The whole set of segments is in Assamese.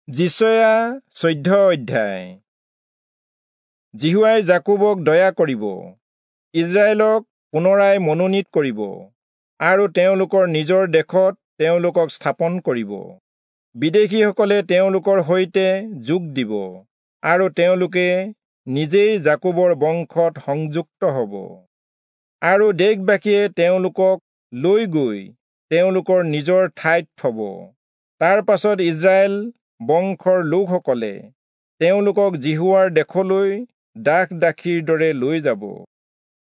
যিচয়া 14 অধ্যায়। যিহোৱাই যাকোবক দয়া কৰিব, ইস্ৰায়েলক পুনৰাই মনোনীত কৰিব আৰু তেওঁলোকৰ নিজৰ দেশত তেওঁলোকক স্থাপন কৰিব। বিদেশীসকলে তেওঁলোকৰ সৈতে যোগ দিব আৰু তেওঁলোকে নিজেই যাকোবৰ বংশত সংযুক্ত হ'ব। আৰু দেশবাসীয়ে তেওঁলোকক লৈ গৈ তেওঁলোকৰ নিজৰ ঠাইত থ'ব। তাৰ পাছত ইস্ৰায়েল বংশৰ লোকসকলে তেওঁলোকক যিহোৱাৰ দেশলৈ দাস দাসীৰ দৰে লৈ যাব।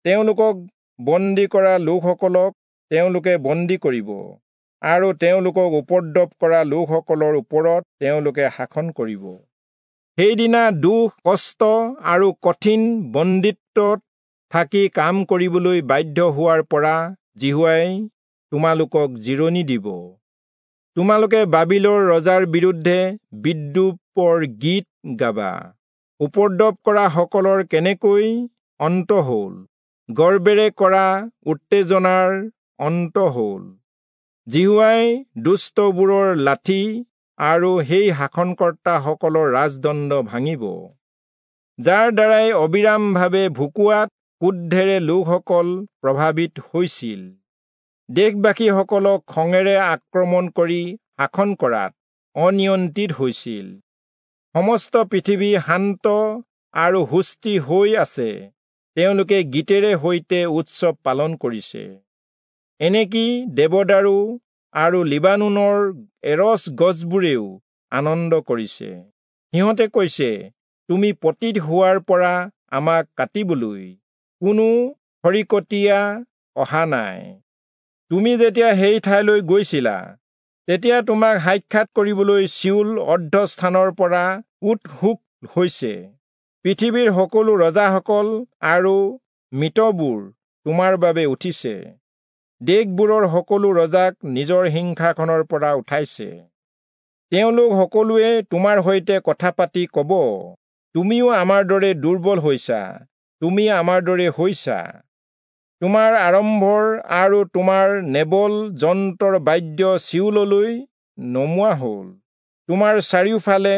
তেওঁলোকক বন্দী কৰা লোকসকলক তেওঁলোকে বন্দী কৰিব আৰু তেওঁলোকক উপদ্ৰৱ কৰা লোকসকলৰ ওপৰত তেওঁলোকে শাসন কৰিব। সেইদিনা দুখ, কষ্ট আৰু কঠিন বন্দীত্বত থাকি কাম কৰিবলৈ বাধ্য হোৱাৰ পৰা যিহোৱাই তোমালোকক জিৰণি দিব। তোমালোকে বাবিলৰ ৰজাৰ বিৰুদ্ধে বিদ্ৰূপৰ গীত গাবা। উপদ্ৰৱ কৰা সকলৰ কেনেকৈ অন্ত হ'ল, গৰ্বেৰে কৰা উত্তেজনাৰ অন্ত হ'ল। যিহোৱাই দুষ্টবোৰৰ লাঠি আৰু সেই শাসনকৰ্তাসকলৰ ৰাজদণ্ড ভাঙিব, যাৰ দ্বাৰাই অবিৰামভাৱে ভুকুৱাত ক্ৰোধেৰে লোকসকল প্ৰভাৱিত হৈছিল। দেশবাসীসকলক খঙেৰে আক্ৰমণ কৰি শাসন কৰাত অনিয়ন্ত্ৰিত হৈছিল। সমস্ত পৃথিৱী শান্ত আৰু সুস্থিৰ হৈ আছে। তেওঁলোকে গীতেৰে সৈতে উৎসৱ পালন কৰিছে। এনেকি দেৱদাৰু আৰু লিবানোনৰ এৰচ গছবোৰেও আনন্দ কৰিছে। সিহঁতে কৈছে, তুমি পতিত হোৱাৰ পৰা আমাক কাটিবলৈ কোনো খৰিকটীয়া অহা নাই। তুমি যেতিয়া সেই ঠাইলৈ গৈছিলা, তেতিয়া তোমাক সাক্ষাৎ কৰিবলৈ চিয়োল অৰ্ধস্থানৰ পৰা উৎসুক হৈছে। পৃথিৱীৰ সকলো ৰজাসকল আৰু মৃতবোৰ তোমাৰ বাবে উঠিছে। দেশবোৰৰ সকলো ৰজাক নিজৰ সিংহাসনৰ পৰা উঠাইছে। তেওঁলোক সকলোৱে তোমাৰ সৈতে কথা পাতি ক'ব, তুমিও আমাৰ দৰে দুৰ্বল হৈছা, তুমি আমাৰ দৰে হৈছা। তোমাৰ আৰম্ভৰ আৰু তোমাৰ নেবল যন্ত্ৰৰ বাদ্য চিয়োললৈ নমোৱা হ'ল। তোমাৰ চাৰিওফালে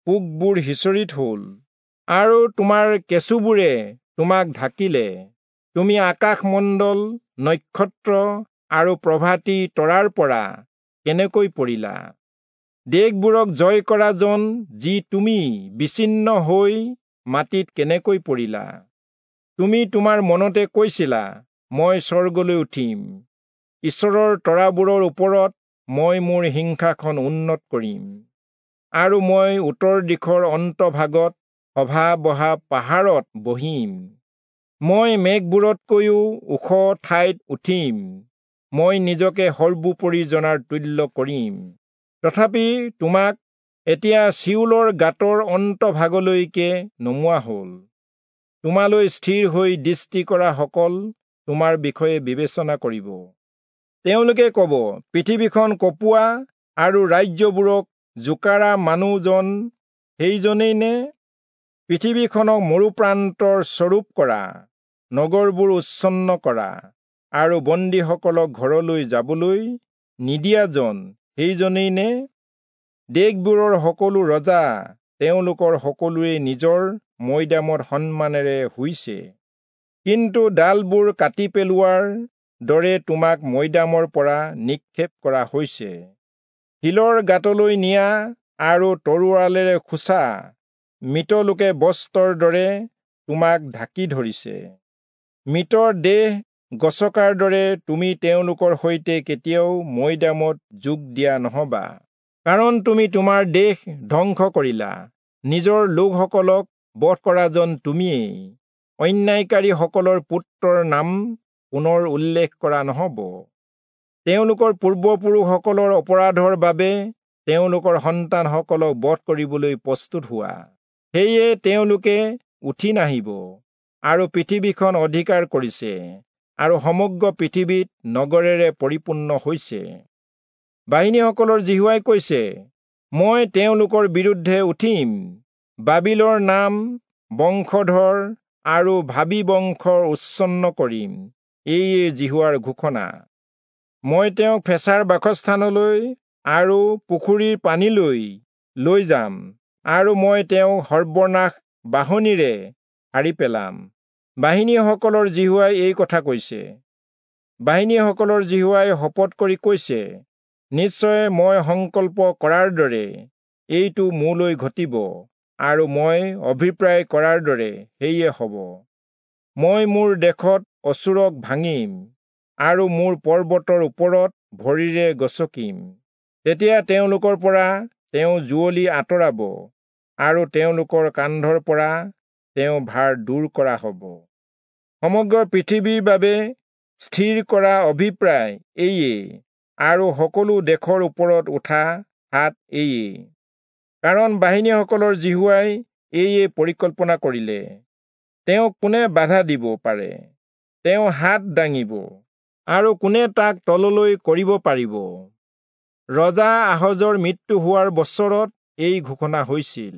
পোকবোৰ সিঁচৰিত হ'ল আৰু তোমাৰ কেঁচুবোৰে তোমাক ঢাকিলে। তুমি আকাশমণ্ডল, নক্ষত্ৰ আৰু প্ৰভাতী তৰাৰ পৰা কেনেকৈ পৰিলা? দেশবোৰক জয় কৰাজন যি তুমি বিচ্ছিন্ন হৈ মাটিত কেনেকৈ পৰিলা? তুমি তোমাৰ মনতে কৈছিলা, মই স্বৰ্গলৈ উঠিম, ঈশ্বৰৰ তৰাবোৰৰ ওপৰত মই মোৰ সিংহাসন উন্নত কৰিম, আৰু মই উত্তৰ দিশৰ অন্তভাগত সভা বহা পাহাৰত বহিম। মই মেঘবোৰতকৈও ওখ ঠাইত উঠিম, মই নিজকে সৰ্বোপৰি জনাৰ তুল্য কৰিম। তথাপি তোমাক এতিয়া চিয়োলৰ গাঁতৰ অন্তভাগলৈকে নমোৱা হ'ল। তোমালৈ স্থিৰ হৈ দৃষ্টি কৰা সকল তোমাৰ বিষয়ে বিবেচনা কৰিব। তেওঁলোকে ক'ব, পৃথিৱীখন কঁপোৱা আৰু ৰাজ্যবোৰক জোকাৰা মানুহজন সেইজনেই নে? পৃথিৱীখনক মৰুপ্ৰান্তৰ স্বৰূপ কৰা, নগৰবোৰ উচ্ছন্ন কৰা আৰু বন্দীসকলক ঘৰলৈ যাবলৈ নিদিয়াজন সেইজনেই নে? দেশবোৰৰ সকলো ৰজা তেওঁলোকৰ সকলোৱে নিজৰ মৈদামত সন্মানেৰে শুইছে। কিন্তু ডালবোৰ কাটি পেলোৱাৰ দৰে তোমাক মৈদামৰ পৰা নিক্ষেপ কৰা হৈছে। শিলৰ গাঁতলৈ নিয়া আৰু তৰোৱালেৰে খোচা মৃত লোকে বস্ত্ৰৰ দৰে তোমাক ঢাকি ধৰিছে। মৃতৰ দেহ গছকাৰ দৰে তুমি তেওঁলোকৰ সৈতে কেতিয়াও মৈদামত যোগ দিয়া নহবা, কাৰণ তুমি তোমাৰ দেশ ধ্বংস কৰিলা। নিজৰ লোকসকলক বধ কৰাজন তুমিয়েই। অন্যায়কাৰীসকলৰ পুত্ৰৰ নাম পুনৰ উল্লেখ কৰা নহব। তেওঁলোকৰ পূৰ্বপুৰুষসকলৰ অপৰাধৰ বাবে তেওঁলোকৰ সন্তানসকলক বধ কৰিবলৈ প্ৰস্তুত হোৱা। সেয়ে তেওঁলোকে উঠি নাহিব আৰু পৃথিৱীখন অধিকাৰ কৰিছে আৰু সমগ্ৰ পৃথিৱীত নগৰেৰে পৰিপূৰ্ণ হৈছে। বাহিনীসকলৰ যিহোৱাই কৈছে, মই তেওঁলোকৰ বিৰুদ্ধে উঠিম, বাবিলৰ নাম, বংশধৰ আৰু ভাবী বংশৰ উচ্ছন্ন কৰিম। এয়ে যিহোৱাৰ ঘোষণা। মই তেওঁক ফেঁচাৰ বাসস্থানলৈ আৰু পুখুৰীৰ পানীলৈ লৈ যাম আৰু মই তেওঁক সৰ্বনাশ বাঢ়নীৰে হাৰি পেলাম। বাহিনীসকলৰ যিহোৱাই এই কথা কৈছে। বাহিনীসকলৰ যিহোৱাই শপত কৰি কৈছে, নিশ্চয় মই সংকল্প কৰাৰ দৰে এইটো মোলৈ ঘটিব আৰু মই অভিপ্ৰায় কৰাৰ দৰে সেয়ে হ'ব। মই মোৰ দেশত অচূৰক ভাঙিম আৰু মোৰ পৰ্বতৰ ওপৰত ভৰিৰে গচকিম। তেতিয়া তেওঁলোকৰ পৰা তেওঁ যুঁৱলি আঁতৰাব আৰু তেওঁলোকৰ কান্ধৰ পৰা তেওঁ ভাৰ দূৰ কৰা হ'ব। সমগ্ৰ পৃথিৱীৰ বাবে স্থিৰ কৰা অভিপ্ৰায় এইয়ে আৰু সকলো দেশৰ ওপৰত উঠা হাত এইয়ে। কাৰণ বাহিনীসকলৰ যিহোৱাই এইয়ে পৰিকল্পনা কৰিলে, তেওঁক কোনে বাধা দিব পাৰে? তেওঁ হাত দাঙিব আৰু কোনে তাক তললৈ কৰিব পাৰিব? ৰজা আহজৰ মৃত্যু হোৱাৰ বছৰত এই ঘোষণা হৈছিল।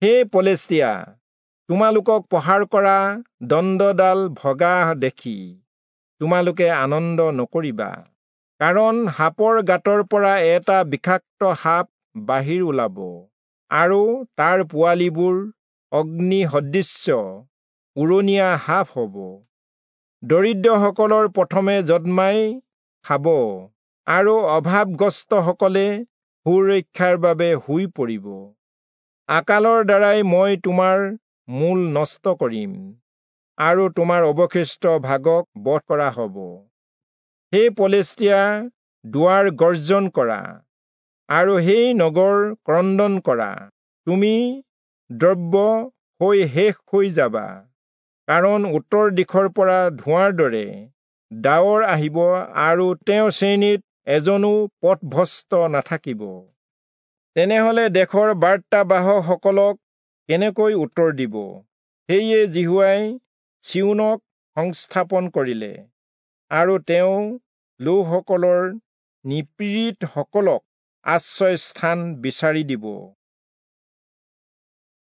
হে পলেষ্টিয়া, তোমালোকক প্ৰহাৰ কৰা দণ্ডডাল ভগা দেখি তোমালোকে আনন্দ নকৰিবা, কাৰণ সাপৰ গাঁতৰ পৰা এটা বিষাক্ত সাপ বাহিৰ ওলাব আৰু তাৰ পোৱালিবোৰ অগ্নি সদৃশ্য উৰণীয়া সাপ হ'ব। দৰিদ্ৰসকলৰ প্ৰথমে যদ্মাই খাব আৰু অভাৱগ্ৰস্তসকলে সুৰক্ষাৰ বাবে শুই পৰিব। আকালৰ দ্বাৰাই মই তোমাৰ মূল নষ্ট কৰিম আৰু তোমাৰ অৱশিষ্ট ভাগক বধ কৰা হ'ব। হে পলেষ্টিয়া, দুৱাৰ গৰ্জন কৰা আৰু সেই নগৰ ক্ৰন্দন কৰা। তুমি দ্ৰব্য হৈ শেষ হৈ যাবা, কাৰণ উত্তৰ দিশৰ পৰা ধোঁৱাৰ দৰে ডাৱৰ আহিব আৰু তেওঁৰ শ্ৰেণীত এজনো পথভ্ৰষ্ট নাথাকিব। তেনেহলে দেশৰ বাৰ্তাবাহকসকলক কেনেকৈ উত্তৰ দিব? সেয়ে যিহোৱাই চিয়োনক সংস্থাপন কৰিলে আৰু তেওঁ লোকসকলৰ নিপীড়িতসকলক আশ্ৰয়স্থান বিচাৰি দিব।